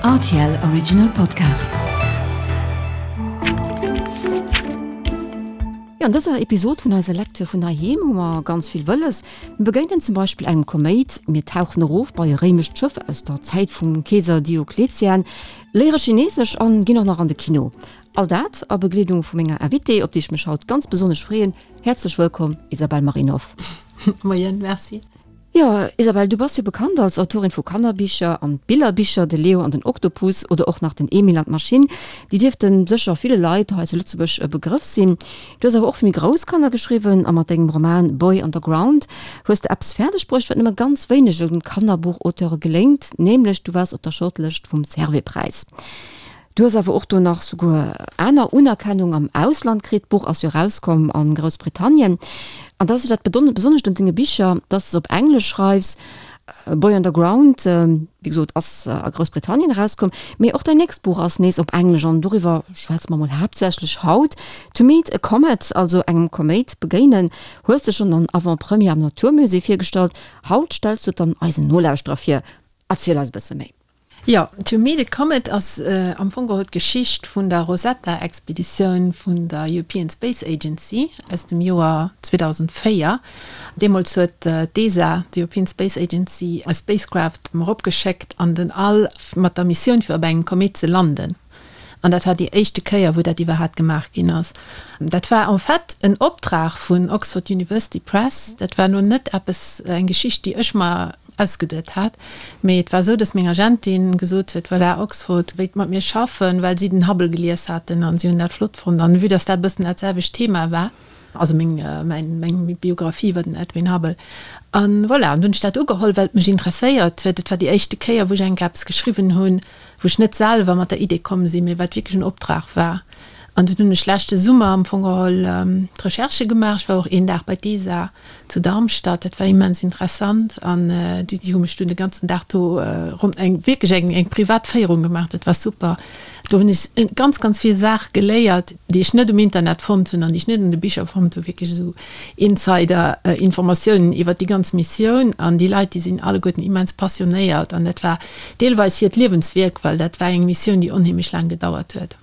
Rtl Original Podcast. Jo, an dëser Episod vun eiser Lecture vun heiheem hu mer ganz vill wëlles. Mir begéinen zum Beispill engem Koméit, mir tauchen erof bei e réimescht Schëff aus der Zäit vum Keeser Diokletian, léiere Chinesesch an ginn och nach an de Kino. All dat a Begleedung vu menger Invitée, op déi ech mech haut ganz besonnesch freeën. Häerzlech wëllkomm, Isabelle Marinov. Moien, merci. Jo, Isabelle, du bass jo bekannt als Autorin vu Kannerbicher an Billerbicher, De Leo an den Oktopus oder och nach Den Emil an d'Maschinn. Déi dierfte sécher ville Leit hei zu Lëtzebuerg e Begrëff sinn. Du hues awer och fir méi grouss Kanner geschriwwen a mat dengem Roman Boy Underground hues de eppes fäerdeg bruecht, wat nëmme ganz wéinege Kannerbuchauteure geléngt, nämlech du waars op der Shortlëscht vum Servais-Präis. Du hues awer och do nach souguer aner Unerkennung am Ausland kritt. D'Buch ass jo erauskomm a Groussbritannien. An dat ass jo dat Besonnescht un denge Bicher, dass de se op Englesch schreifs. Boy Underground, wéi gesot, ass a Groussbritannien erauskomm. Mee och däin nächst Buch ass nees op Englesch an doriwwer schwätze mer mol haaptsächlech haut. To Meet a Comet, also engem Koméit begéinen, hues de schonn an Avant-Première am Natur Musée virgestallt. Haut stells du et dann eisen Nolauschterer vir. Erziel eis e bësse méi. Jo, To Meet a Comet ass am Fong geholl d'Geschicht vun der Rosetta-Expeditioun vun der European Space Agency aus dem Joer 2004. Deemools huet d'ESA, d'European Space Agency, e Spacecraft eropgeschéckt an den All mat der Missioun fir op engem Komet ze landen. An dat war déi éischte Kéier, wou dat iwwerhaapt gemaach ginn ass. Dat war en fait en Optrag vun Oxford University Press. Dat war elo net eppes, eng Geschicht, déi ech mer ausgeduet hat, mee et war esou, datt meng Agentin gesot huet, voilà, Oxford wéilt mat mir schaffen, well si den Hubble gelies haten an si hunn dat flott fonnt. An vue datt dat e bëssen dat selwecht Thema war, Also meng, mäin, meng Biographie iwwer den Edwin Hubble. An voilà, an dunn hunn ech dat ugeholl, well et mech interesséiert huet. Et war déi éischte Kéier, wou ech eng Kéier eppes geschriwwen hunn, wou ech net selwer mat der Idee komm sinn, mee wat wierklech en Optrag war. An dunn hunn ech leschte Summer am Fong geholl d'Recherchë gemaach. Ech war och een Dag bei d'ESA zu Darmstadt, dat war immens interessant. An déi hu mech dunn de ganzen Dag do ronn eng, wierklech eng, eng privat Féierung gemaach. Dat war super. Do hunn ech ganz, ganz vill Saache geléiert, déi ech net um Internet fonnt hunn an déi ech net an de Bicher fonnt hunn, wierklech esou Insider-Informatiounen iwwert déi ganz Missioun. An déi Leit, déi sinn alleguerten immens passionéiert an dat war deelweis hiert Liewenswierk, well dat war eng Missioun, déi onheemlech laang gedauert huet.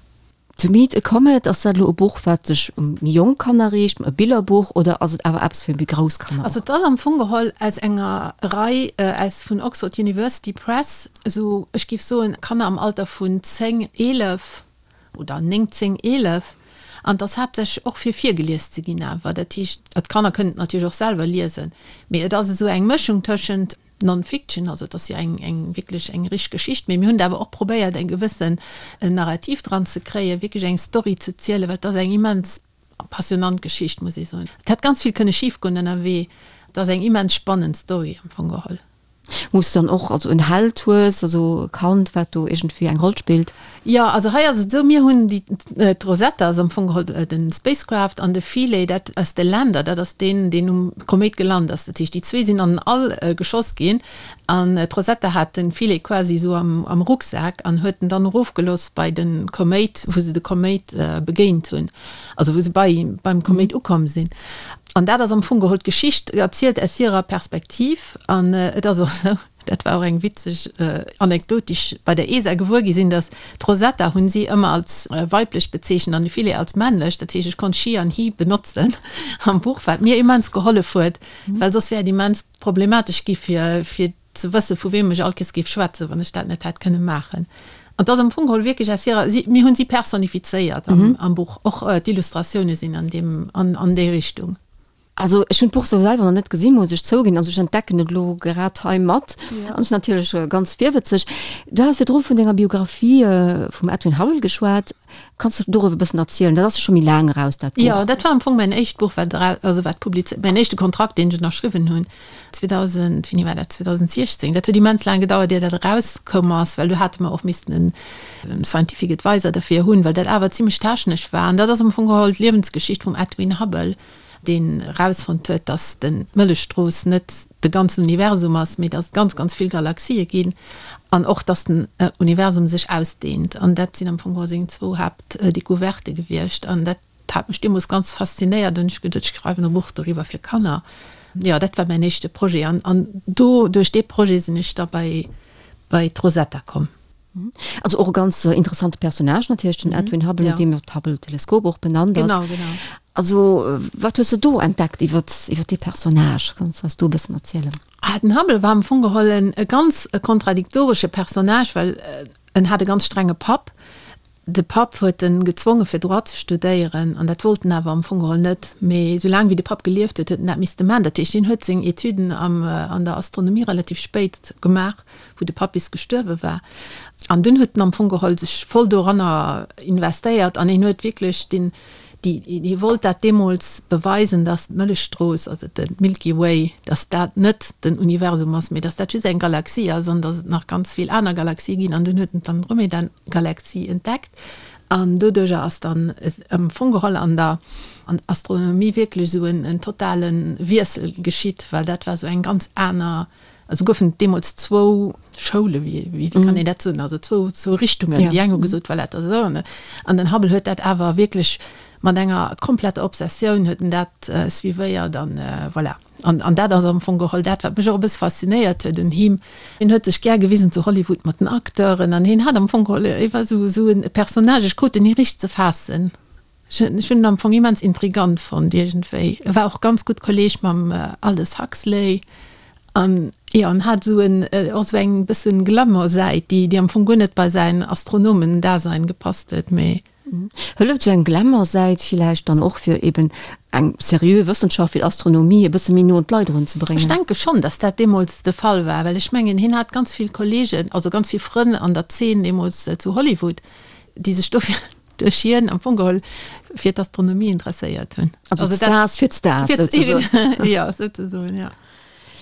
To Meet a Comet, ass dat elo e Buch, wat sech u méi jonk Kanner riicht, e Billerbuch, oder ass et awer eppes fir méi grouss Kanner och? Also et ass am Fong geholl aus enger Rei aus vun Oxford University Press, esou ech géif soen Kanner am Alter vun 10, 11 oder 9, 10, 11 an et ass haaptsächlech och fir virgelies ze ginn awer. Dat heescht, d'Kanner kënnen et natierlech och selwer liesen, mee et ass esou eng Mëschung tëschent Non-Fiction, also et ass jo eng eng wierklech eng richteg Geschicht, mee mir hunn et awer och probéiert eng gewëssen Narrativ dran ze kréien, wierklech eng Story ze zielen, well et ass eng immens passionant Geschicht, muss ee soen. Et hätt ganz vill kënne schif goen ënnerwee. Et ass eng immens spannend Story am Fong geholl. Wou s de dann och also en Held hues, also e Kand, wat do iergendwéi eng Roll spillt. Jo, also hei ass et esou, mir hunn déi, d'Rosetta ass am Fong geholl de Spacecraft an de Philae, dat ass de Lander, dat ass deen, deen um Koméit gelant ass. Dat heescht, déi zwee sinn an den All geschoss ginn an d'Rosetta hat de Philae quasi esou am, am Rucksak an huet en dann erofgelooss bei de Koméit, wou se de Koméit begéint hunn, also wou se bei, beim Koméit ukomm sinn. An dat ass am Fong geholl d'Geschicht erzielt aus hirer Perspektiv. An et ass och esou, dat war och eng witzeg Anekdot, déi ech bei der ESA gewuer gi sinn, datt d'Rosetta hunn si ëmmer als weiblech bezeechent an de Philae als männlech. Dat heescht, ech konnt she an he benotzen am Buch, wat mir immens gehollef huet, well soss wär et immens problematesch gi fir fir ze wëssen, vu weem ech all Kees géif schwätzen, wann ech dat net hätt kënne maachen. An 't ass am Fong geholl wierklech aus hirer, si, mir hunn si personifizéiert am, am Buch. Och d'Illustratioune sinn an deem, an, an déi Richtung. Also ech hunn d'Buch sou selwer nach net gesinn, muss ech zouginn. Also ech entdecken et elo grad hei mat an ech sinn natierlech ganz virwëtzeg. Du has virdru vun denger Biographie vum Edwin Hubble geschwat. Kanns de doriwwer e bëssen erzielen? Dat ass jo scho méi laang eraus, dat Buch. Jo, dat war am Fong mäin éischt Buch, wat eraus, also wat publizéiert, mäin éischte Kontrakt, deen ech ënnerschriwwen hunn, 2000, wéini war dat, 2016. Dat huet immens laang gedauert, ier dat erauskoum ass, well do hate mer och missten en Scientific Advisor derfir hunn, well dat awer zimlech technesch war. An dat ass am Fong geholl d'Liewensgeschicht vum Edwin Hubble. deen erausfonnt huet, dass den d'Mëllechstrooss net de ganzen Universum ass, mee dass et ganz, ganz vill Galaxië ginn an och, dass den Universum sech ausdehnt. An dat sinn am Fong geholl seng zwou Haaptdécouvertë gewiescht. An dat hat mech deemools ganz faszinéiert. Hunn ech geduet, ech schreiwen e Buch doriwwer fir Kanner. Jo, dat war mäin éischte Projet. An do, duerch dee Projet sinn ech da bei, bei d'Rosetta komm. Also och e ganz interessante Personnage natierlech, den Edwin Hubble, no deem jo d'Hubble-Teleskop och benannt ass. Genau, genau. Also wat hues de do entdeckt iwwer iwwer dee Personnage? Kanns de eis do e bëssen erzielen? Ah, den Hubble war am Fong geholl en e ganz kontradiktoresche Personnage, well en hat e ganz strenge Papp. De Papp huet en gezwonge fir Droit ze studéieren an dat wollt en awer am Fong geholl net. Mee soulaang wéi de Papp gelieft huet, huet en dat misste man. Dat heescht, hien huet seng Etüden am an der Astronomie relativ spéit gemaach, wou de Papp bis gestuerwe war. An dunn huet en am Fong geholl sech voll doranner investéiert an hien huet wierklech den Déi, hie wollt dat deemools beweisen, datt d'Mëllechstrooss, also de Milky Way, datt dat net den Universum ass, mee datt dat just eng Galaxie ass an datt et nach ganz vill aner Galaxië ginn. An dunn huet en d'Andromeda-Galaxie entdeckt an doduercher ass dann am Fong geholl an der Astronomie wierklech esou en totale Wiessel geschitt, well dat war esou eng ganz aner Also goufen et deemools zwou Schoule, wéi, wéi kann een dat soen, also zwou, zwou Richtungen. Ja. Déi eng hu gesot, voilà, dat ass esou. An, an den Hubble huet dat awer wierklech mat enger kompletter Obsessioun huet en dat äh, suivéiert an äh, voilà. An, an dat ass am Fong geholl dat, wat mech och e bësse faszinéiert huet un him. Hien huet sech gär gewisen zu Hollywood mat den Acteuren an hien hat am Fong geholl, e war esou, esou e Personnage, ech krut en ni richteg ze faassen. Ech hunn en am Fong immens intrigant fonnt iergendwéi. E war och ganz gutt Kolleeg mam Aldous Huxley an jo, en hat esou en och esou eng bëssen Glamour-Säit, déi déi am Fong guer net bei säin Astronomen-Dasein gepasst huet, mee. Hëlleft esou eng Glamour-Säit villäicht dann och fir eben eng seriö Wëssenschaft wéi d'Astronomie e bësse méi no un d'Leit erun ze bréngen? Ech denke schonn, datt dat deemools de Fall war, well ech mengen hien hat ganz vill Kolleegen, also ganz vill Frënn an der Zeen deemools zu Hollywood, déi sech dofir duerch hien am Fong geholl fir d'Astronomie interesséiert hunn. Also d'Stars fir d'Stars souzesoen. Jo, souzesoen, jo.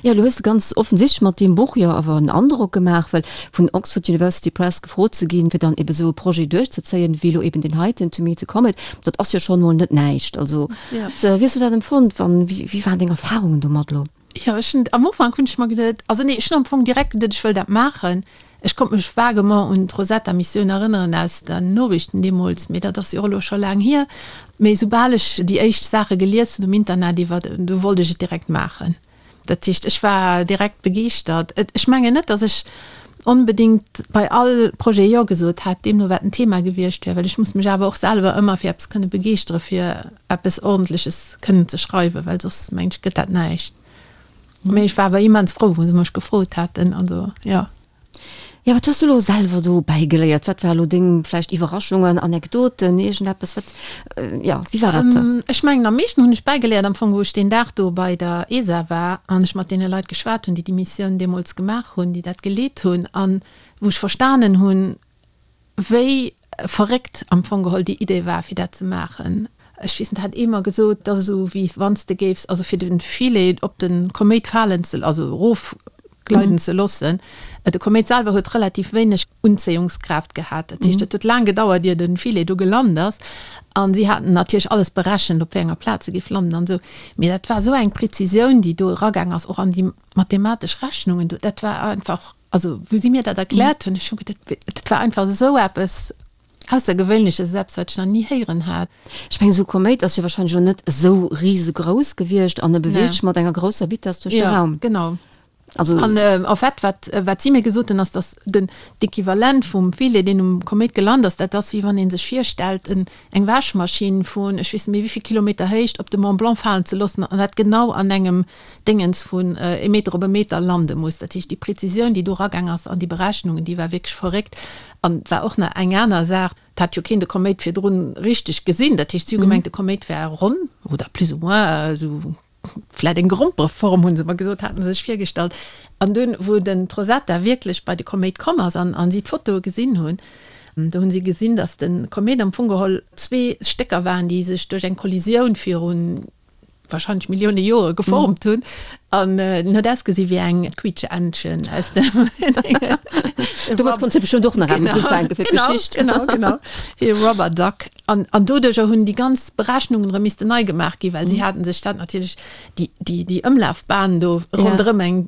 Jo, elo hues de ganz offensichtlech mat deem Buch jo awer en Androck gemaach, well vun Oxford University Press gefrot ze ginn, fir dann ebe sou e Projet duerchzezéien, wéi elo eben deen heiten, To Meet the Comet, dat ass jo schonn emol net näischt. Also, wéi hues du dat empfonnt? Wann, wéi waren deng Erfahrungen domat elo? Jo, ech hunn, am Ufank hunn ech mer geduet, also nee, ech hunn am Fong direkt geduet, ech wëll dat maachen. Ech konnt mech vaguement un d'Rosetta-Missioun erënneren aus den Noriichten deemools, mee dat ass jo och elo scho laang hier. Mee soubal ech déi éischt Saache gelies hunn um Internet iwwer, du wollt ech et direkt maachen. Dat heescht, ech war direkt begeeschtert. Ech mengen net, datt ech onbedéngt bei all Projet Jo gesot hätt, deemno wat den Thema gewiescht wär, well ech muss mech awer och selwer ëmmer fir eppes kënne begeeschtere fir eppes Ordentleches kënnen ze schreiwen, well soss, mengen ech, gëtt dat näischt. Mee ech war awer immens frou, wou se mech gefrot haten, also jo. Jo, wat hues du elo selwer do bäigeléiert? Wat war elo deng vläicht Iwwerraschungen, Anekdoten, iergendeppes, wat, jo, wéi war dat? Ech mengen, am meeschten hunn ech bäigeléiert am Fong, wou ech deen Dag do bei der ESA war an ech mat deene Leit geschwat hunn, déi déi Missioun deemools gemaach hunn, déi dat geleet hunn, an wou ech verstanen hunn, Wéi verréckt am Fong geholl déi Idee war, fir dat ze maachen. Ech weess net, hat ee mer gesot, dat ass esou wéi wann s de géifs, also fir de Filet op de Koméit falen ze, also erofgleiden ze loossen. De Koméit selwer huet relativ wéineg Unzéiungskraaft gehat. Dat heescht, et huet laang gedauert, ier de Filet do gelant ass. A si haten natierlech alles berechent, op wéi enger Plaz e géif landen an esou. Mee dat war esou eng Prezisioun, déi do eragaang ass, och an déi mathematesch Rechnungen do. Dat war einfach. Also wou si mir dat erkläert hunn, ech hu geduet, dat war einfach esou eppes Aussergewöhnleches, esou eppes, wat ech nach ni héieren hat. Ech mengen, esou e Koméit ass jo wahrscheinlech och net esou risegrouss gewiescht an e beweegt sech mat enger grousser Vitess duerch de Raum. Jo, genau. Also. An en fait, wat, wat si mir gesot hunn, ass, datt den, d'Equivalent vum Filet, deen um Koméit gelant ass, dat ass, wéi wann ee sech virstellt, en, eng Wäschmaschinn vun ech weess net méi wéi vill Kilometer Héicht op de Mont Blanc falen ze loossen an dat genau an engem Déngens vun e Meter op e Meter lande muss. Dat heescht, déi Prezisioun, déi do eragaang ass an déi Berechnungen, déi war wierklech verréckt. An et war och nach eng aner Saach, Et hat jo keen de Koméit virdrun richteg gesinn. Dat heescht, si hu gemengt, de Koméit wär ronn oder plus ou moins esou vläit eng Grompereform, hu se mer gesot, haten se sech virgestallt. An dunn, wou den d'Rosetta wierklech bei de Koméit komm ass an si d'Fotoe gesinn hunn, do hunn si gesinn, datt de Koméit am Fong geholl zwee Stécker waren, déi sech duerch eng Kollisioun virun wahrscheinlech Millioune Jore geformt hunn an en huet ausgesi wéi eng Quietscheentchen aus dem Domat konns de bestëmmt och nach eppes ufänke fir d'Geschicht. Genau, genau, wéi e Rubber Duck. An, an doduercher hunn déi ganz Berechnungen erëm missten nei gemaach ginn, well si haten sech dat natierlech, déi, déi, déi Ëmlafbahn do ronderëm eng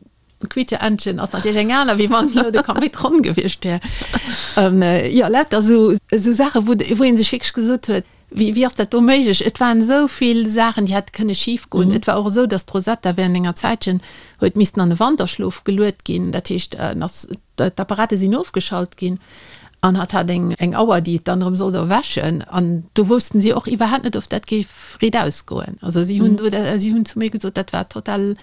Quietscheentchen ass natierlech eng aner, wéi wann elo de Koméit ronn gewiescht wär. Jo, lauter esou, esou Saachen, wou, wou ee sech wierklech gesot huet. Wéi, wéi ass dat do méiglech? Et waren esou vill Saachen, déi hätte kënne schif goen. Et war och esou, datt d'Rosetta während enger Zäitchen huet missten an e Wanterschlof geluet ginn. Dat heescht, en ass, d'Apparate sinn ofgeschalt ginn an hatt hat eng, eng Auer, déi et dann erëm sollt erwächen. An do woussten si och iwwerhaapt net, ob dat géif riit ausgoen. Also si hunn do, si hunn zu mir gesot, dat war total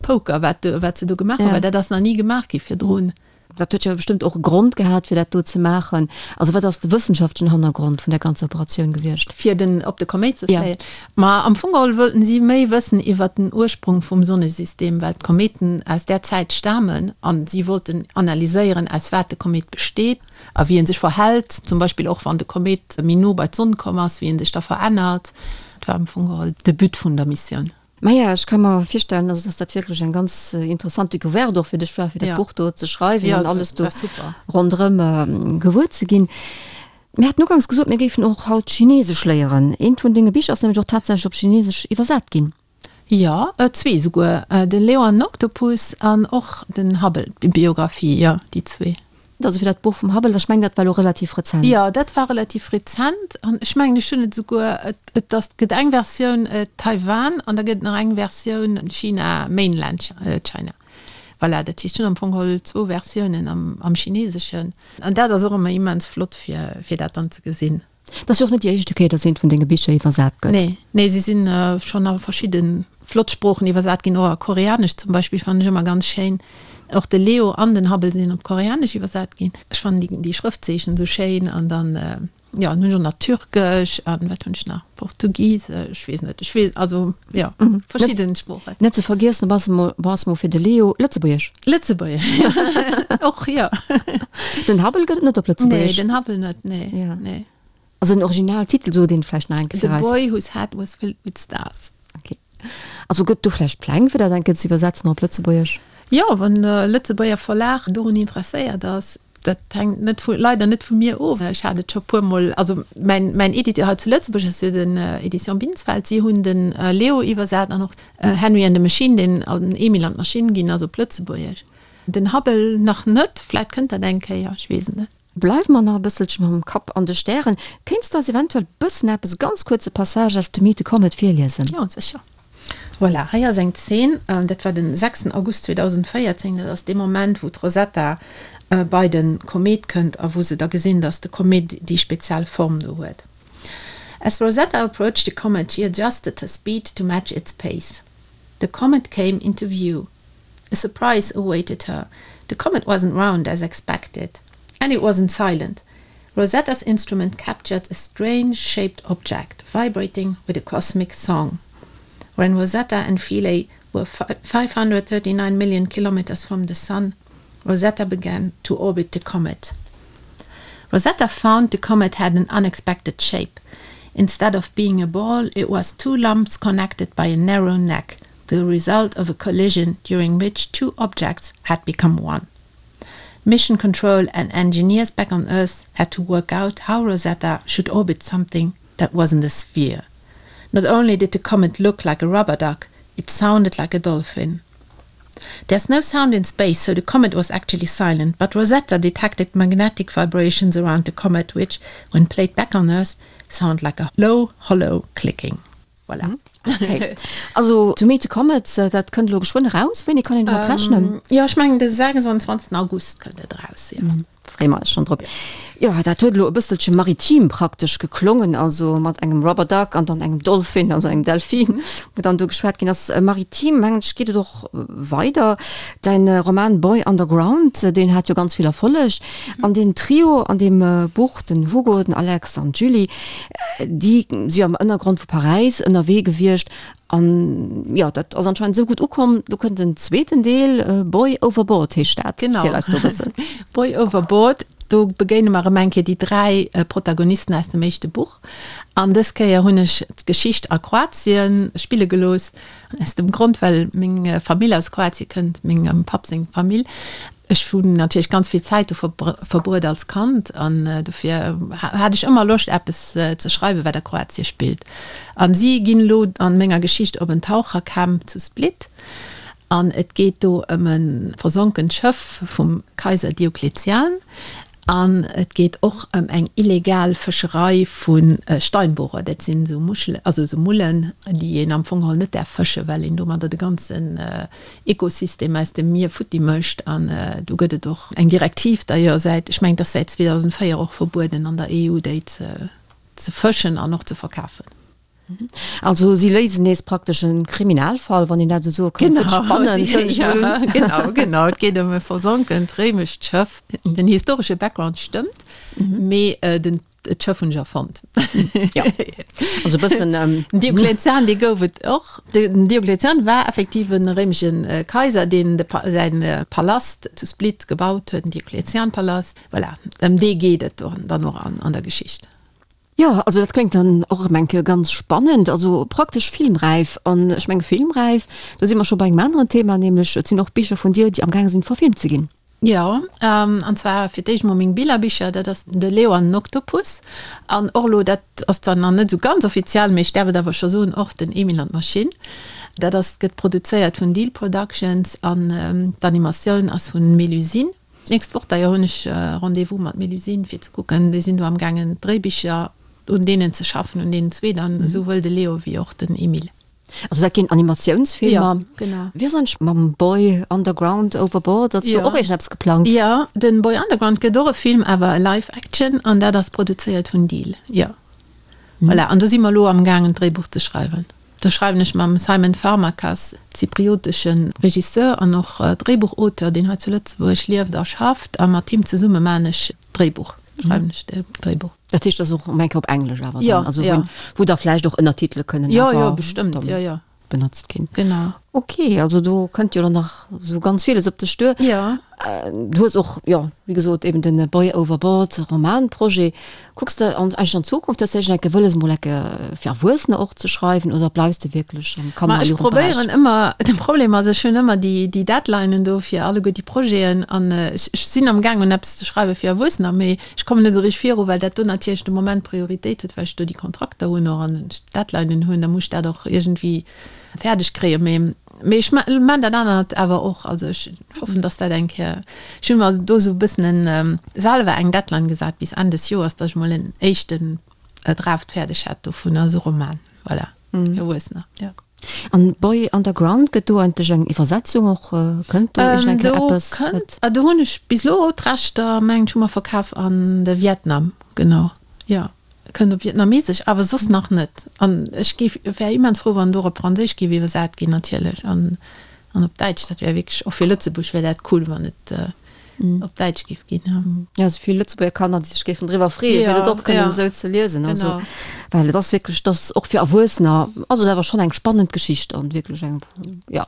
Poker, wat, wat se do gemaach hunn, well dat ass nach ni gemaach gi virdrun. Dat huet jo bestëmmt och e Grond gehat, fir dat do ze maachen. Also wat ass de wëssenschaftlechen Hannergrond vun där ganzer Operatioun gewiescht? Fir den op de Koméit ze fléien? Ma am Fong geholl wollten si méi wëssen iwwer den Ursprung vum Sonnesystem, well d'Koméiten aus där Zäit stamen an si wollten analyséieren, aus wat de Koméit besteet a wéi en sech verhält, zum Beispill och wann de Koméit méi no bei d'Sonn komm ass, wéi en sech da verännert. Dat war am Fong geholl de But vun der Missioun. Maja, ech ka mer virstellen, also dass dat wierklech eng ganz interessant Decouverte och fir dech war, fir dat Buch do ze schreiwen an alles do ronderëm gewuer ze ginn. Mir haten uganks gesot, mir géifen och haut Chinesesch léieren. Eent vun denge Bicher ass nämlech och tatsächlech op Chinesesch iwwersat ginn. Jo, zwee esouguer, de Leo an den Oktopus an och den Hubble, d'Biographie, jo, déi zwee. Also fir dat Buch vum Hubble, ech mengen dat war elo relativ rezent. Jo, dat war relativ rezent an ech mengen ech hunn et esouguer, et ass, gëtt eng Versioun Taiwan an da gëtt et nach eng Versioun China, Mainland China. Voilà, dat heescht ech hunn am Fong geholl zwou Versiounen am, am Chineseschen an dat ass och ëmmer immens flott fir, fir dat dann ze gesinn. Dat ass jo och net déi éischte Kéier, datt eent vun denge Bicher iwwersat gëtt. Nee, nee, se sinn schonn a verschidde flott Sproochen iwwersat ginn, och a Koreanesch zum Beispill fannen ech ëmmer ganz schéin. Och de Leo an den Hubble sinn op Koreanesch iwwersat ginn. Ech fannen déi, déi Schrëftzeechen esou schéin an dann, jo, dann hunn ech och nach Türkesch an wat hunn ech nach, Portugisesch, ech weess net, ech weess, also jo, verschidden Sproochen. Net ze vergiessen, bass mol, bass mol fir de Leo Lëtzebuergesch. Lëtzebuergesch, jo, och, jo. Den Hubble gëtt et net op Lëtzebuergesch. Nee, den Hubble net, nee, ja. nee. Also den Originaltitel sot een vläicht nach eng Kéier eis. The Boy Whose Head Was Filled With Stars. Okay. Also gëtt do vläicht Pläng fir dat eng Kéier ze iwwersetzen op Lëtzebuergesch? Jo, wann e Lëtzebuerger Verlag dorun interesséiert ass. Dat hänkt net vu, leider net vu mir of. Ech hat et scho puermol, also mäin, mäin Editeur hei zu Lëtzebuerg ass jo den Edition Binsfeld, si hunn den Leo iwwersat an och Henry and the Machine, deen an Emil an d'Maschinn ginn ass op Lëtzebuergesch. Den Hubble nach net, vläit kënnt dat eng Kéier, ech weess et net. Bleiwe mer nach e bësselche mam Kapp an de Stären. Kéints du eis eventuell bëssen eppes, e ganz kuerze Passage aus To Meet the Comet virliesen? Jo, sécher. Voilà, hei ass eng Zeen, dat war den 6 August 2014, dat ass dee Moment, wou d'Rosetta bei de Komet kënnt a wou se da gesinn, dass de Komet déi speziell Form do huet. As Rosetta approached the comet, she adjusted her speed to match its pace. The comet came into view. A surprise awaited her. The comet wasn't round as expected. And it wasn't silent. Rosetta's instrument captured a strange shaped object vibrating with a cosmic song. When Rosetta and Philae were 539 million kilometers from the sun, Rosetta began to orbit the comet. Rosetta found the comet had an unexpected shape. Instead of being a ball, it was two lumps connected by a narrow neck, the result of a collision during which two objects had become one. Mission control and engineers back on Earth had to work out how Rosetta should orbit something that wasn't a sphere. Not only did the comet look like a rubber duck, it sounded like a dolphin. There's no sound in space, so the comet was actually silent, but Rosetta detected magnetic vibrations around the comet which, when played back on Earth, sound like a low, hollow clicking. Voilà. Okay. Also To Meet the Comet, dat kënnt elo geschwënn eraus. Wéini kann een domat rechnen? Jo, ech mengen de 26. August kënnt et eraus, jo. Freeë mer eis schonn drop. Jo, dat huet elo e bësselche maritim praktesch geklongen, also mat engem Rubber Duck an dann engem Dolphin, also engem Delfin, wou dann do geschwat ginn ass. Maritim, mengen ech, geet et och weider. Däin Roman Boy Underground, deen hat jo ganz vill Erfolleg. An den Trio an deem Buch, den Hugo, den Alex an d'Julie, déi si am Ënnergrond vu Paräis ënnerwee gewiescht. An jo, dat ass anscheinend esou gutt ukomm, do kënnt en zweeten Deel, Boy Overboard heescht dat. Genau. Erziel eis do e bëssen. Boy Overboard, do begéine mer erëm eng Kéier déi 3 Protagonisten aus dem éischte Buch. An dës Kéier hunn ech d'Geschicht a Kroatien spille gelooss, aus dem Grond, well meng Famill aus Kroatie kënnt, mengem Papp seng Famill. Ech hunn natierlech ganz vill Zäit do verbruet als Kand an dofir hat ech ëmmer Loscht eppes ze schreiwen, wat a Kroatie spillt. An si ginn elo an menger Geschicht op en Tauchercamp zu Split an et geet do ëm e versonkent Schëff vum Kaiser Diokletian. An et geet och ëm eng illegal Fëscherei vu Steinbohrer, dat sinn esou Muschelen, also esou Mullen, déi een am Fong geholl net däerf fëschen, well een domadder de ganzen Ekosystem aus dem Mier futti mécht. An do gëtt et och eng Direktiv d'ailleurs säit, ech mengen, et ass säit 2004 och verbueden an der EU, déi ze fëschen an och ze verkafen. Also si léisen nees praktesch e Kriminalfall, wann een dat esou soe kann. Gëtt spannend, hëllen ech mol un. Genau, genau. Et geet ëm e versonkent réimescht Schëff. Den historesche Background stëmmt, mee den d'Schëff hunn ech erfonnt. Jo, also e bëssen. Den Diokletian, dee gouf et och. Den Diokletian war effektiv e réimesche Kaiser, deen de säin Palast zu Split gebaut huet, den Diokletianpalast. Voilà, ëm dee geet et dann och an der Geschicht. Jo, also dat kléngt dann och erëm eng Kéier ganz spannend, also praktesch filmräif. An ech menge filmräif, do si mer scho bei engem aneren Thema, nämlech et sinn och Bicher vun dir, déi amgaange sinn verfilmt ze ginn. Jo, an zwar fir d'éischt mol meng Billerbicher, dat ass De Leo an den Oktopus an och elo, dat ass zwar nach net esou ganz offiziell, mee ech däerf et awer scho soen, och den Emil an d'Maschinn. Dat ass, gëtt produzéiert vun Deal Productions an d'Animatioun ass vun Mélusine. D'nächst Woch d'ailleurs hunn ech Rendez-vous mat Mélusine fir ze kucken, déi sinn do am gaangen d'Dréibicher un deenen ze schaffen, un deenen zwee dann, esouwuel de Leo wéi och den Emile. Also dat ginn Animatiounsfilmer. Jo, genau. Wéi ass eigentlech mam Boy Underground Overboard? Ass do och iergendeppes geplangt? Jo, den Boy Underground gëtt och e Film, awer e Live Action, an dat ass produzéiert vun Deel, jo. Voilà, an do si mer elo am gaangen d'Dréibuch ze schreiwen. Do schreiwen ech mam Simon Farmakas, zypriotesche Regisseur an och Dréibuchauteur, deen hei zu Lëtzebuerg lieft a schafft, a mat him zesumme maan ech d'Dréibuch, schreiwen ech d'Dréibuch. Dat heescht, dat ass och eng Kéier op Englesch awer dann, also wou, wou da vläicht och Ënnertitele kënnen awer jo, jo, bestëmmt, jo, jo. benotzt ginn. Genau. Ok, also do kënnt jo dann nach esou ganz villes op dech duer. Jo. Du hues och, jo, wéi gesot, eben den Boy Overboard Romanprojet. Kucks de an eigentlech an d'Zukunft, hues de iergend enke wëlles mol enke fir Erwuessener och ze schreiwen oder bleifs de wierklech am Kanner a Jugendberäich? Ma ech probéieren ëmmer, de Problem ass, ech hunn ëmmer déi déi Deadlinen do fir alleguer déi Projeten an ech ech sinn am gaang un eppes ze schreiwe fir Erwuessener, mee ech kommen net esou richteg viru, well dat do natierlech de Moment Prioritéit huet, well ech do déi Kontrakter hunn och an ech d'Deadlinen hunn, da muss ech dat och iergendwéi fäerdeg kréien. Mee Mee ech man dat anert awer och. Also ech hoffen, dass dat eng Kéier, ech hunn mer do esou e bëssen en, selwer eng Deadline gesat bis Enn des Joers, dass ech mol en éischten Draft fäerdeg hätt dovun, also e Roman, voilà, fir Erwuessener, jo. An Boy Underground, gëtt do eigentlech eng Iwwersetzung och, kënnt do iergend eng Kéier eppes? Do kënnt, do hunn ech bis elo d'Rechter, mengen ech, hu mer verkaf an de Vietnam, genau, jo. Kënnt op Vietnamesesch, awer soss nach net. An ech géif, wär immens frou, wann et och op Franséisch géif iwwersat ginn natierlech an an op Däitsch. Dat wär wierklech, och fir Lëtzebuerg wär dat cool, wann et op Däitsch géif ginn, jo. Jo, esou vill Lëtzebuerger Kanner, déi sech géifen driwwer freeën, fir dat och kënnen esou ze liesen. Also, well et ass wierklech, et ass och fir Erwuessener, also et ass awer schonn eng spannend Geschicht an wierklech eng, jo.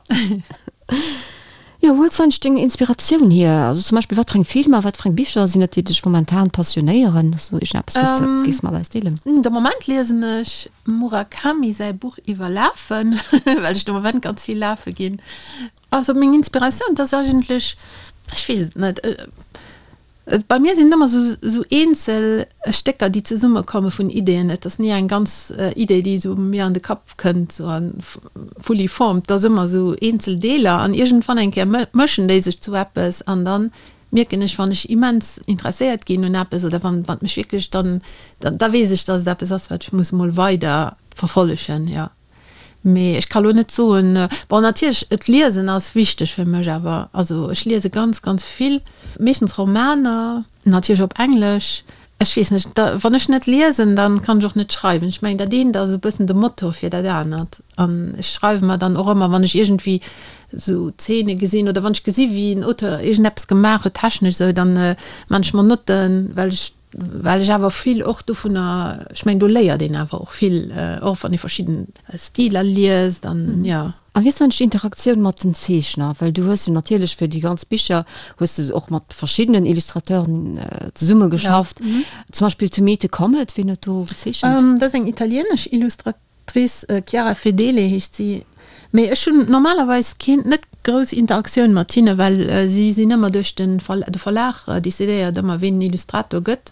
Jo, wou huels du eigentlech deng Inspiratioun hier? Also zum Beispill wat fir eng Filmer, wat fir eng Bicher sinn et, déi dech momentan passionéieren? Ass do iergendeppes, wou s de géifs mat eis deelen? De Moment liesen ech Murakami säi Buch iwwer Lafen, well ech de Moment ganz vill lafe ginn. Also meng Inspiratioun, dat ass eigentlech, ech weess et net, Bei mir sinn et ëmmer esou eenzel Stécker, déi zesummekomme vun Ideeën. Et ass ni eng ganz Idee, déi esou mir an de Kapp kënnt, esou a fully formed. Et ass ëmmer esou eenzel Deeler an iergendwann eng Kéier mëschen déi sech zu eppes an da mierken ech, wann ech immens interesséiert ginn un eppes oder wann et mech wierklech, dann da weess ech, datt et eppes ass, wat ech muss emol weider verfollegen, jo. Mee ech ka lo net soen, bon natierlech et liesen ass wichteg fir mech awer, also ech liese ganz ganz vill, meeschtens Romaner, natierlech op Englesch. Ech weess net, da wann ech net liesen, dann kann ech och net schreiwen. Ech mengen dat eent ass e bëssen de Motor fir dat anert an ech schreiwe mer dann och ëmmer wann ech iergendwéi esou Zeene gesinn oder wann ech gesi wéi en Auteur iergendeppes gemaach huet technesch esou, dann man ech mer Notten, well ech Well ech awer vill och dovunner, ech mengen do léiert een awer och vill, och wann ee verschidden Stiler liest an jo. A wéi ass dann d'Interaktioun mat den Zeechner? Well du hues jo natierlech fir déi ganz Bicher hues de och mat verschiddenen Illustrateuren zesummegeschafft. Zum Beispill To Meet a Comet, wien huet do gezeechent? Dat ass eng italieenesch Illustratrice. D'Actrice Chiara Fedele heescht si. Mee ech hunn normalerweis keen, net grouss Interaktioun mat hinne, well si sinn ëmmer duerch de de Verlag decidéiert ëmmer ween den Illustrator gëtt.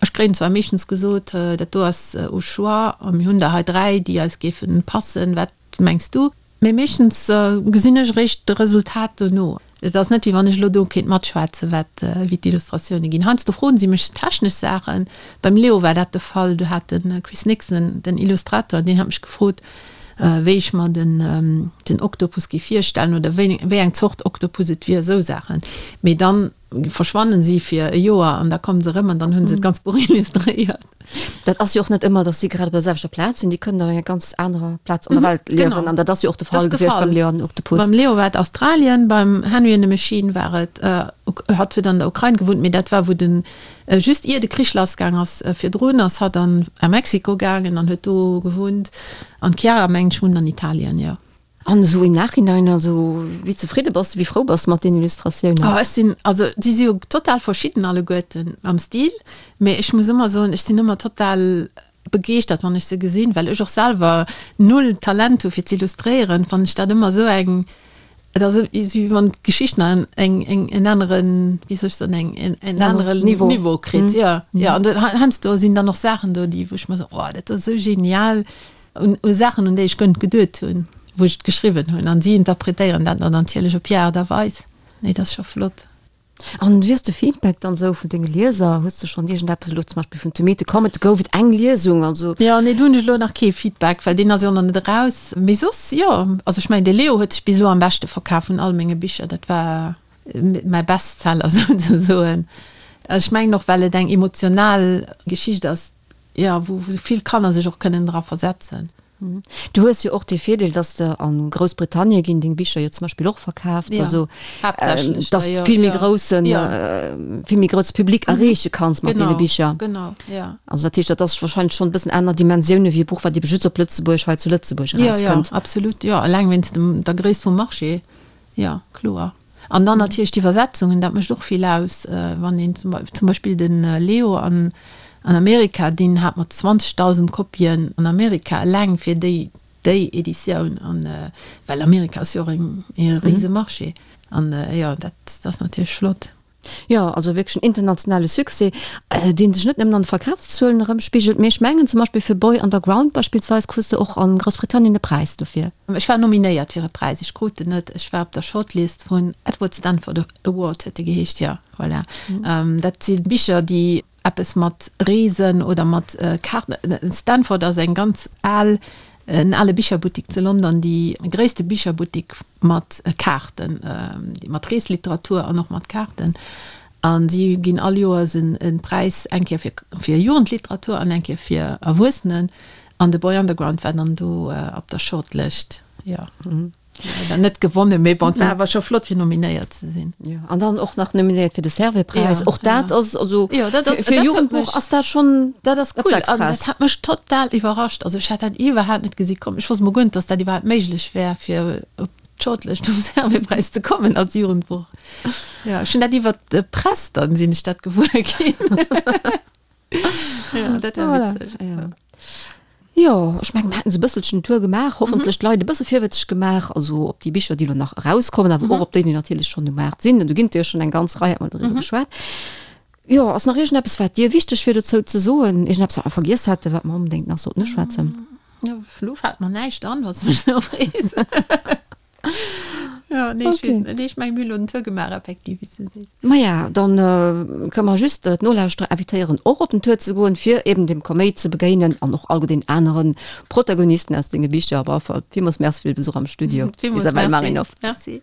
Ech kréien zwar meeschtens gesot, dat do ass au choix a mir hunn der hei 3, déi eis géife passen, wat mengs du? Mee meeschtens gesinn ech eréischt de Resultat dono. Et ass net, wéi wann ech elo do kéint matschwätzen, wat, wéi d'Illustratioune ginn. Heiansdo froen si mech technesch Saachen. Beim Leo war dat de Fall, do hat de Chris Nixon, den Illustrator, deen hat mech gefrot, wéi ech mer den, den Oktopus géif virstellen oder wéi, wéi eng Zort Oktopus et wier, esou Saachen. Mee dann verschwannen si fir e Joer an da kommen se erëm an dann hunn se d'ganz Buch illustréiert. Dat ass jo och net ëmmer, datt si grad op der selwechter Plaz sinn. Déi kënnen op enger ganz anerer Plaz an der Welt liewen. An dat ass jo och de Fall gewiescht beim Leo an den Oktopus. Beim Leo war et Australien, beim Henry and the Machine war et, hatt huet an der Ukrain gewunnt, mee dat war wou den, just ier de Krich lassgaang ass. Virdrun ass hatt an a Mexiko gaangen an huet do gewunnt. An d'Chiara mengt ech wunnt an Italien, jo. An esou im Nachhinein, also wéi zefridde bass de, wéi frou bass de mat deenen Illustratiounen? Oh ech sinn, also si si jo total verschidden alleguerten am Stil, mee ech muss ëmmer soen, ech sinn ëmmer total begeeschtert wann ech se gesinn, well ech och selwer null Talent hu fir z'illustréieren, fannen ech dat ëmmer esou eng, et ass esou wéi wann d'Geschicht nach eng eng en aneren, wéi soll ech soen, eng en en anere Niveau kritt, jo jo. An heiansdo sinn dann och Saachen do, déi wou ech mer soen, oh dat do ass esou genial, U Saachen, un déi ech guer net geduet hunn, wou ech et geschriwwen hunn. An si interpretéieren dat dann natierlech op hir Aart a Weis. Nee, dat ass scho flott. An wéi ass de Feedback dann esou vun denge Lieser? Hues de schonn iergendeppes elo zum Beispill vun To Meet the Comet, gouf et eng Liesung, also? Jo, nee, do hunn ech elo nach kee Feedback, well deen ass jo nach net eraus. Mee soss, jo, also ech mengen, de Leo huet sech bis elo am beschte verkaf vun all menge Bicher. Dat war mäi Bestseller souzesoen. Ech mengen och, well et eng emotional Geschicht ass, Jo, wou vill Kanner sech och kënnen dra versetzen. Du hues jo och dee Virdeel, dass de a Groussbritannien ginn deng Bicher jo zum Beispill och verkaaft, also dass de vill méi groussen, vill méi grousse Public erreeche kanns mat deene Bicher. Genau, jo. Also dat heescht, dat ass warscheinlech schonn e bëssen aner Dimensioune wéi e Buch, wat ebe just op Lëtzebuerg, hei zu Lëtzebuerg erauskënnt. Jo, jo, absolut, jo, eleng wéinst dem, der Gréisst vum Marché. Jo, kloer. An dann natierlech d'Iwwersetzungen, dat mécht och vill aus. Wann een zum Beispill de Leo an Amerika, deen hat mat 20.000 Kopien an Amerika eleng fir déi déi Editioun, an well Amerika ass jo och e rise Marché. An jo, dat ass natierlech flott. Jo, also wierklech en internationale Succès, dee sech net nëmmen an de Verkafszuelen erëmspigelt, mee ech mengen zum Beispill fir Boy Underground beispillsweis krus de och a Groussbritannien e Präis dofir. Ech war nominéiert fir e Präis, ech krut en net. Ech war op der Shortlist vun Edward Stanford Award huet e geheescht, jo, voilà. Dat si Bicher, déi eppes mat Reesen oder mat Kaarten. Stanford ass eng ganz al, en ale Bicherbuttik zu London, déi gréisste Bicherbuttik mat Kaarten, mat Reesliteratur an och mat Kaarten. A si ginn all Joers e Präis, eng Kéier fir fir Jugendliteratur an eng Kéier fir Erwuessenen. An de Boy Underground war dann do op der Shortlëscht, jo. Leider net gewonnen, mee bon, et war awer scho flott fir nominéiert ze sinn. Jo, an dann och nach nominéiert fir de Servais-Präis. Och dat ass, also jo, dat ass, fir e Jugendbuch ass dat schonn dat ass cool. An dat hat mech total iwwerrascht. Also ech hat dat iwwerhaapt net gesi kommen. Ech wosst mol guer net, datt dat iwwerhaapt méiglech wär, fir op d'Shortlist vum Servais-Präis ze kommen als Jugendbuch. Jo, ech hunn dat iwwert d'Press dann sinn ech dat gewuer ginn. Ja, dat war witzeg. Ja. Jo, ech mengen, mir haten esou e bësselchen Tour gemaach, hoffentlech d'Leit e bësse virwëtzeg gemaach, also op déi Bicher, déi elo nach erauskommen, awer och op déi, déi natierlech schonn um Maart sinn. An do ginn et jo schonn eng ganz Rei, hat mer doriwwer geschwat. Jo, ass nach iergendeppes, wat dir wichteg wier dozou ze soen? Iergendeppes, wat mer vergiess hätten, wat mer onbedéngt nach sollten uschwätzen? Jo, elo fält mer näischt an, wann s de mech esou frees. Ja, nee, ech weess net. Nee, ech mengen, mir hunn elo den Tour gemaach, effektiv, wéi s de sees. Maja, dann kënne mer just d'Nolauschterer invitéieren, och op den Tour ze goen, fir eben dem Koméit ze begéinen an och all den anere Protagonisten aus denge Bicher. Op alle Fall villmools Merci fir de Besuch am Studio, Villmools Isabelle Merci. Marinov. Merci.